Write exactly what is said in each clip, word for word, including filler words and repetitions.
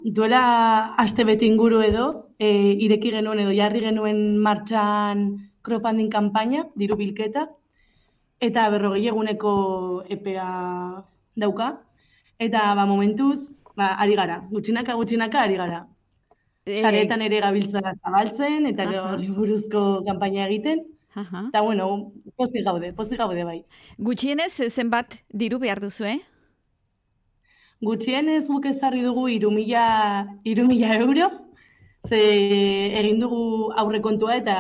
duela aste bete inguru edo, e, ireki genuen edo jarri genuen martxan crowdfunding kanpaina, diru bilketa, eta berrogei eguneko epea dauka, eta ba, momentuz, ba, ari gara, gutxinaka, gutxinaka ari gara. Eh, Sareetan ere gabiltza zabaltzen, eta Aha. horri buruzko kanpaina egiten, aha. eta bueno, pozik gaude, pozik gaude bai. Gutxienez, eh, zenbat diru behar duzu, eh? Gutxienez guk ezarri dugu hiru mila hiru mila euro, ze egin dugu aurrekontua eta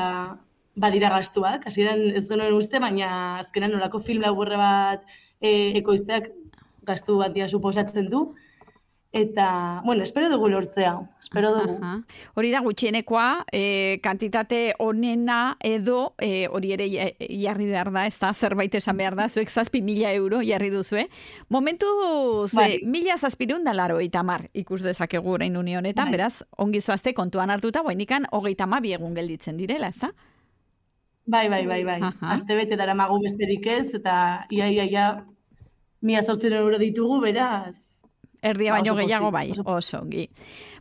badira gastuak. Hasieran ez genuen uste, baina azkenan nolako film laburre bat e, ekoizteak gastu batia suposatzen du. Eta, bueno, espero dugu lortzea, espero dugu. Aha. Hori da gutxienekoa, eh, kantitate onena edo eh, hori ere ja- jarri behar da, ez da, zerbait esan behar da, zuek zazpi mila euro jarri duzue. Momentuz, Bai. eh, mila zazpirun da laro itamar ikus dezakegu orain une honetan, Bai. beraz, ongi zoazte kontuan hartuta, guainikan hogeita hamabi egun gelditzen direla, ez da? Bai, bai, bai, bai. Aha. Aste bete daramagu besterik ez, eta ia, ia, ia, mila zortziehun euro ditugu, beraz, Erdia Ba, baino oso gehiago pozik, bai, oso oso ongi.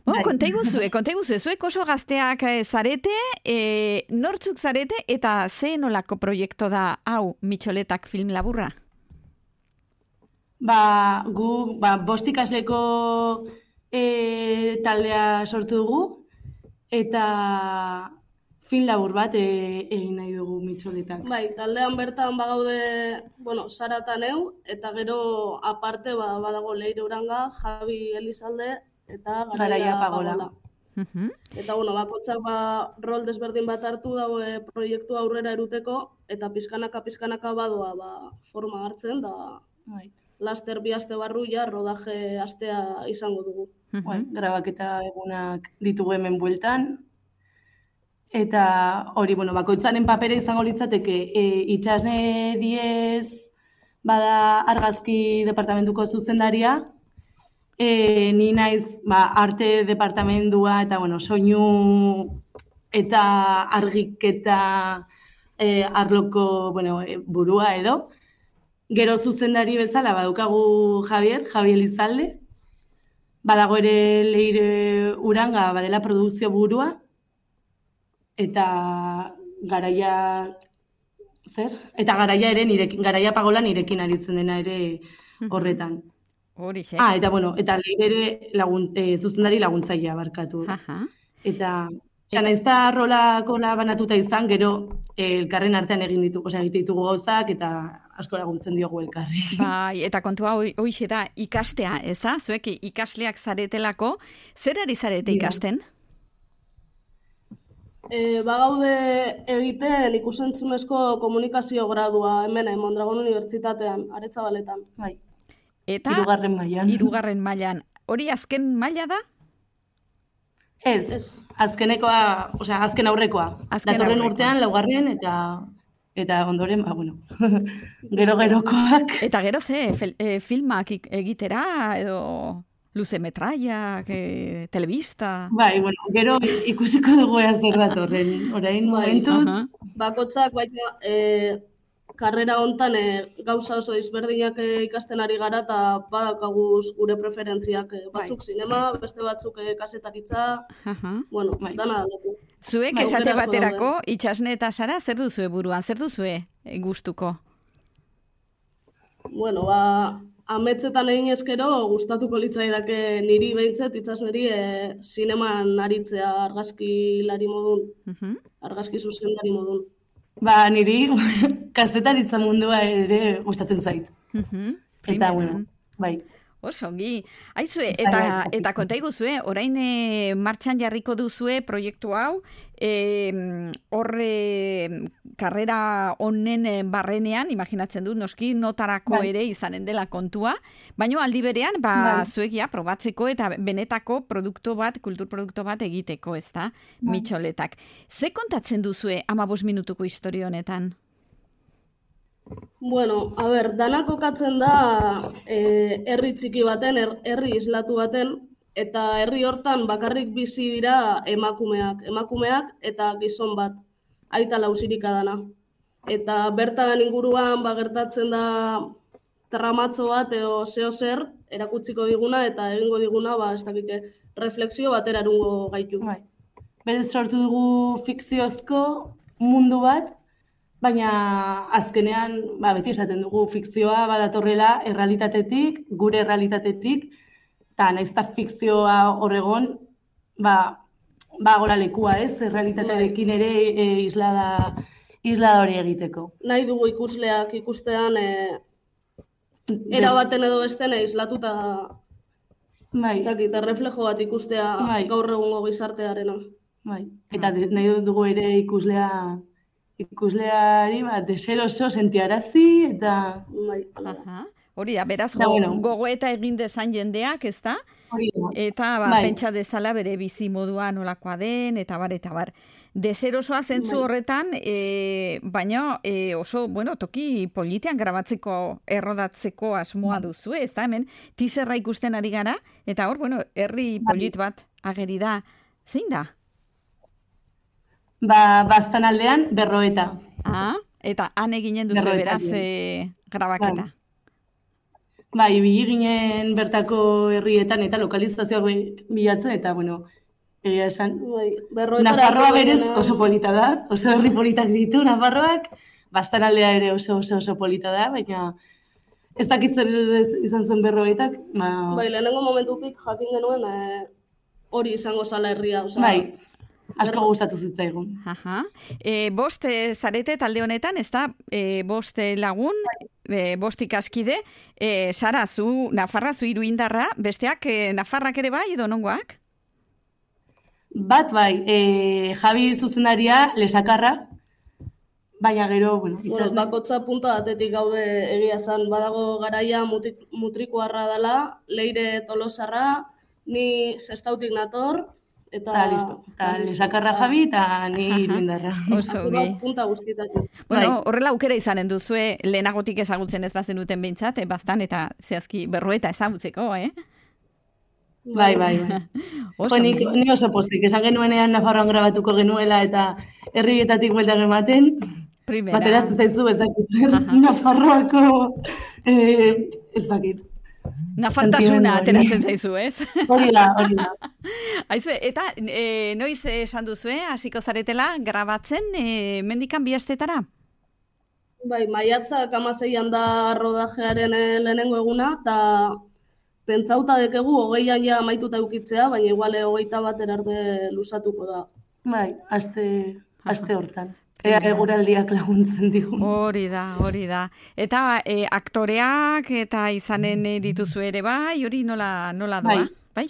Bueno, Bai. konta iguzue, konta iguzue, zuek oso gazteak eh, zarete, eh, nortzuk zarete eta ze nolako proiektu da hau Mitxoletak film laburra? Ba, gu, ba, bost ikasleko e, taldea sortu dugu, eta film labur bat e, egin nahi dugu Mitxoletak. Bai, taldean bertan bagaude, bueno, Sara eta neu, eta gero aparte ba, badago Leire Uranga, Javi Elizalde, eta Garaia Garaia Pagola. Pagola. Mhm. Eta, bueno, bakotzak ba, rol desberdin bat hartu daue proiektu aurrera eruteko, eta pizkanaka pizkanaka badoa ba, forma hartzen, da Bai. laster bi aste barru ja rodaje astea izango dugu. Bai, grabaketa egunak ditugu hemen bueltan. Eta hori, bueno, bakoitzaren papera izango litzateke e, itxasne diez bada argazki departamentuko zuzendaria, e, ni naiz ba, arte departamentua eta bueno, soinu eta argiketa e, arloko bueno, e, burua edo. Gero zuzendari bezala badaukagu Javier, Javi Elizalde, badago ere Leire Uranga badela produkzio burua, eta garaia zer? Eta garaia ere nirekin, garaia Pagola nirekin aritzen dena ere horretan. Hori xe. Ah, eta bueno, eta Leire ere lagun, e, zuzendari laguntzailea barkatu. Aha. Eta Eta naiz da rolakola banatuta izan, gero eh, elkarren artean egin ditugu, osea, egite ditugu gauzak eta asko laguntzen diogu elkarri. Bai, eta kontua hoi- hoixe da ikastea, ez da? Zuek ikasleak zaretelako, zer ari zarete Dira. ikasten? E, bagaude egiten ikusentzunezko komunikazio gradua hemen eh, Mondragon Unibertsitatean, Aretzabaletan. Bai, Eta hirugarren mailan. hirugarren mailan. Hori azken maila da? Ez, Ez. azkenekoa, osea, azken aurrekoa. Azken Datorren aurrekoa. urtean laugarren eta eta ondoren, ba, bueno, gero-gerokoak. Eta gero ze, fel- eh, filmak ik- egitera, edo luze metraiak, eh, telebista... Bai, bueno, gero ikusiko dugu ea zer datorren. Orain Bai, momentuz, aha. Bakotzak baina e, karrera hontan e, gauza oso desberdinak e, ikasten ari gara eta badakaguz gure preferentziak e, batzuk zinema, beste batzuk e, kasetaritza, Aha. bueno, Bai. dana aldatu. Zuek Bai, esate aukera asko baterako, itxasne eta Sara, zer duzue buruan, zer duzue eh, gustuko? Bueno, ba, ametzetan egin eskero gustatuko litzaidake niri behintzet itsasneri e, zineman aritzea argazkilari modun, Mhm. argazki zuzendari modun. ba, niri kazetaritza mundua ere gustatzen zait. Mhm. Eta, Primeran. bueno, bai. Oso, ongi. Aizue, Bai, eta, bai, eta konta iguzue, orain e, martxan jarriko duzue proiektu hau, e, horre karrera honen eh, barrenean, imaginatzen dut, noski notarako Bai. ere izanen dela kontua, baina aldi berean, ba, Bai. zuek ja, probatzeko eta benetako produktu bat, kulturproduktu bat egiteko, ez da, Mitxoletak. Ze kontatzen duzue amabos minutuko historia honetan? Bueno, a ber, dana kokatzen da eh, herri txiki baten, her- herri islatu baten, eta herri hortan bakarrik bizi dira emakumeak, emakumeak eta gizon bat, aita lausirika dana. Eta bertan inguruan ba, gertatzen da tramatxo bat edo zeo zer erakutsiko diguna eta egingo diguna, ba, ez dakite, refleksio batera erungo gaitu. Bai. Berez sortu dugu fikziozko mundu bat, baina azkenean, ba, beti esaten dugu fikzioa badatorrela errealitatetik, gure errealitatetik, eta nahiz eta fikzioa horregon, ba, ba gola lekua ez, errealitatearekin ere e, islada, islada hori egiteko. Nahi dugu ikusleak ikustean e, erabaten edo besten islatuta bai. ez dakit, erreflejo bat ikustea bai. gaur egungo gizartearena. Bai. Eta nahi dugu ere ikuslea ikusleari ba, deseroso sentiarazi eta... Bai. Aha. Hori da, beraz, Da, go, bueno. gogoeta egin dezan jendeak, ez da? Hori da. Eta ba, Bai. pentsa dezala bere bizi modua nolakoa den, eta bar, eta bar. Deserosoa zentzu Bai. horretan, e, baina e, oso, bueno, toki politean grabatzeko, errodatzeko asmoa duzu, ez da? Hemen, teaserra ikusten ari gara, eta hor, bueno, herri polit bat ageri da. Zein da? Ba, bastan aldean, berroeta. Ah, eta han eginen duzu Berroeta beraz dien. e, grabaketa. Bai, ibili ginen bertako herrietan eta lokalizazioak bi- bilatzen, eta, bueno, egia esan, Bai. Berroetara Nafarroa berez joanena- oso polita da, oso herri politak ditu Nafarroak, bastan aldea ere oso oso oso polita da, baina ez dakit zer ez- izan zen berroetak, ba, Bai, lehenengo momentutik jakin genuen e, hori izango zala herria. Osea, bai, asko gustatu zitzaigun. Aha. E, bost e, zarete talde honetan, ez da, e, bost e, lagun, e, bost ikaskide, e, Sara, zu Nafarra, zu Iruindarra, besteak e, Nafarrak ere bai, edo nongoak? Bat bai, e, Javi zuzendaria lesakarra, baina gero, bueno, Bueno, itxas bakotza punta batetik gaude egia esan, badago garaia mutik, mutrikuarra dela, Leire Tolosarra, ni Sestautik nator, eta... eta listo. Eta listo. lesakarra Javi eta ni Iruindarra. Oso Apur ongi. bat punta guztietatik. Bueno, Bai. horrela aukera izanen duzue, lehenagotik ezagutzen ez bazenuten behintzat, e, bastan eta zehazki berroeta ezagutzeko, eh? Bai, bai, bai. Oso Jo, nik, ongi. ni oso pozik, esan genuenean Nafarroan grabatuko genuela eta herrietatik bueltak ematen, Primera. bateratzen zaizu ez dakit zer, Nafarroako, eh, ez dakit. Nafartasuna Sentimendu hori. ateratzen zaizu, ez? Hori da, hori da. Aizue, eta e, noiz esan duzue, hasiko zaretela, grabatzen, e, mendikan bi astetara? Bai, maiatzak amaseian da rodajearen eh, lehenengo eguna, eta pentsauta dekegu hogeian ja amaituta eukitzea, baina iguale hogeita bat arte luzatuko da. Bai, aste, aste hortan. Ea eguraldiak laguntzen digun. Hori da, hori da. Eta e, aktoreak eta izanen e, dituzu ere bai, hori nola, nola doa? Bai?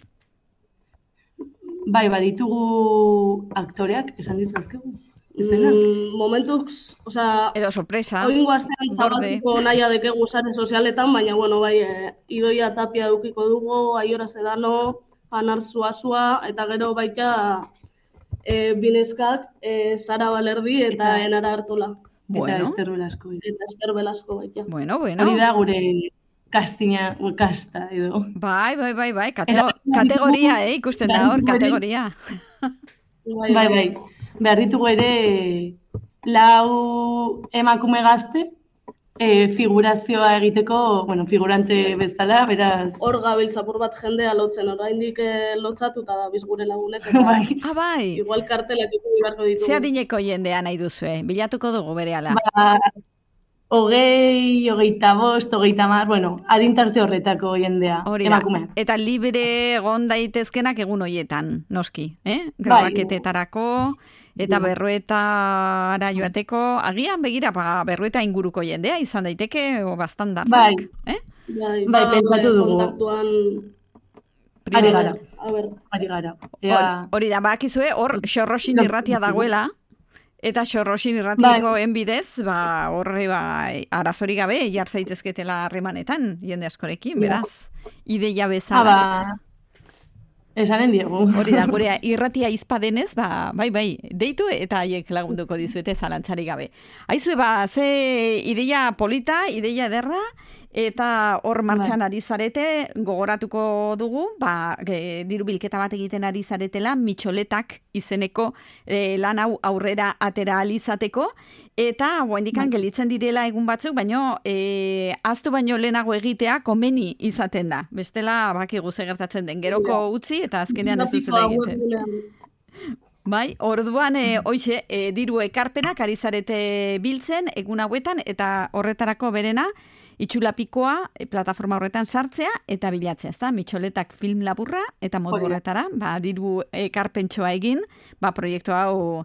Bai, baditugu aktoreak, esan ditzazkegu. Ez dena? Mm, momentuz, osea, Edo sorpresa. oingo astean gorde. zabaltuko nahia dekegu sare sozialetan, baina, bueno, bai, eh, Idoia Tapia edukiko dugu, Aiora Sedano, Anar Zuazua, eta gero baita e, bineskak, e, Sara Balerdi eta, Eta- Enara Artola. Bueno. Eta Ester Velasco. Eta Ester Velasco baita. Bueno, bueno. Hori da gure kastina, kasta edo. Bai, bai, bai, bai, katego, Eta- kategoria, eh, ikusten da hor, Bai, bai. kategoria. Bai, Bai, bai. Behar ditugu ere lau emakume gazte e, figurazioa egiteko, bueno, figurante bezala, beraz... Hor gabiltzapur bat jendea lotzen, oraindik eh, lotzatuta da biz gure lagunek, eta Bai. Ah, bai. igual kartelak ikusi beharko ditugu. Ze adineko jendea nahi duzue, bilatuko dugu berehala. Ba, hogei, hogeita bost, hogeita mar, bueno, adintarte horretako jendea, Hori da. emakumeak. Eta libre egon daitezkenak egun hoietan, noski, eh? Bai. Grabaketetarako, eta berruetara joateko, agian begira, ba, berrueta inguruko jendea izan daiteke, o bastan Bai. eh? Bai, Bai, ba, pentsatu gure dugu. Kontaktuan... Ari gara, A ber, ari gara. Hori, Ea, hori da, bakizue, hor xorrosin Bai. irratia dagoela, eta xorrosin irratiko enbidez, ba, horre, ba, arazorik gabe, jar zaitezketela harremanetan, jende askorekin, beraz, ideia ah, bezala. ba, esanen diegu. Hori da, gure irratia izpadenez, ba, bai, bai, deitu eta haiek lagunduko dizuete zalantzarik gabe. Aizue, ba, ze ideia polita, ideia ederra, eta hor martxan ari zarete, gogoratuko dugu, ba, e, diru bilketa bat egiten ari zaretela, mitxoletak izeneko e, lan hau aurrera atera alizateko, eta guaindikan gelitzen direla egun batzuk, baino e, aztu baino lehenago egitea komeni izaten da. Bestela, bakigu ze gertatzen den, geroko utzi eta azkenean ez duzula egiten. Bai, orduan, e, hoxe, e, diru ekarpenak ari zarete biltzen egun hauetan, eta horretarako berena, itxulapikoa e, plataforma horretan sartzea eta bilatzea, ezta? Mitxoletak film laburra eta modu horretara, ba, diru ekarpentsoa egin, ba, proiektu hau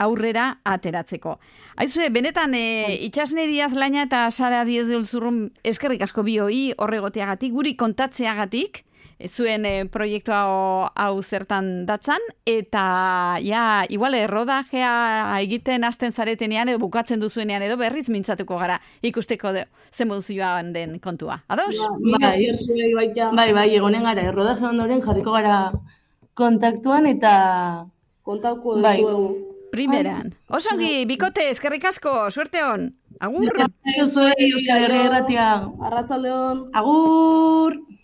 aurrera ateratzeko. Aizue, benetan, e, itxasneriaz laina eta Sara Diez de Ulzurrun eskerrik asko bioi horregoteagatik, guri kontatzeagatik, zuen e, proiektua hau zertan datzan, eta ja, igual errodajea egiten hasten zaretenean edo bukatzen duzuenean edo berriz mintzatuko gara ikusteko de, zen moduzioan den kontua. Ados? Ba, bai, bai, bai, egonen gara, errodaje ondoren jarriko gara kontaktuan eta... Kontauko bai. duzu. Primeran. Osongi, bikote, eskerrik asko, suerte hon. Agur! Zuei, Euskal Herria Irratia. Arratsaldeon. Agur!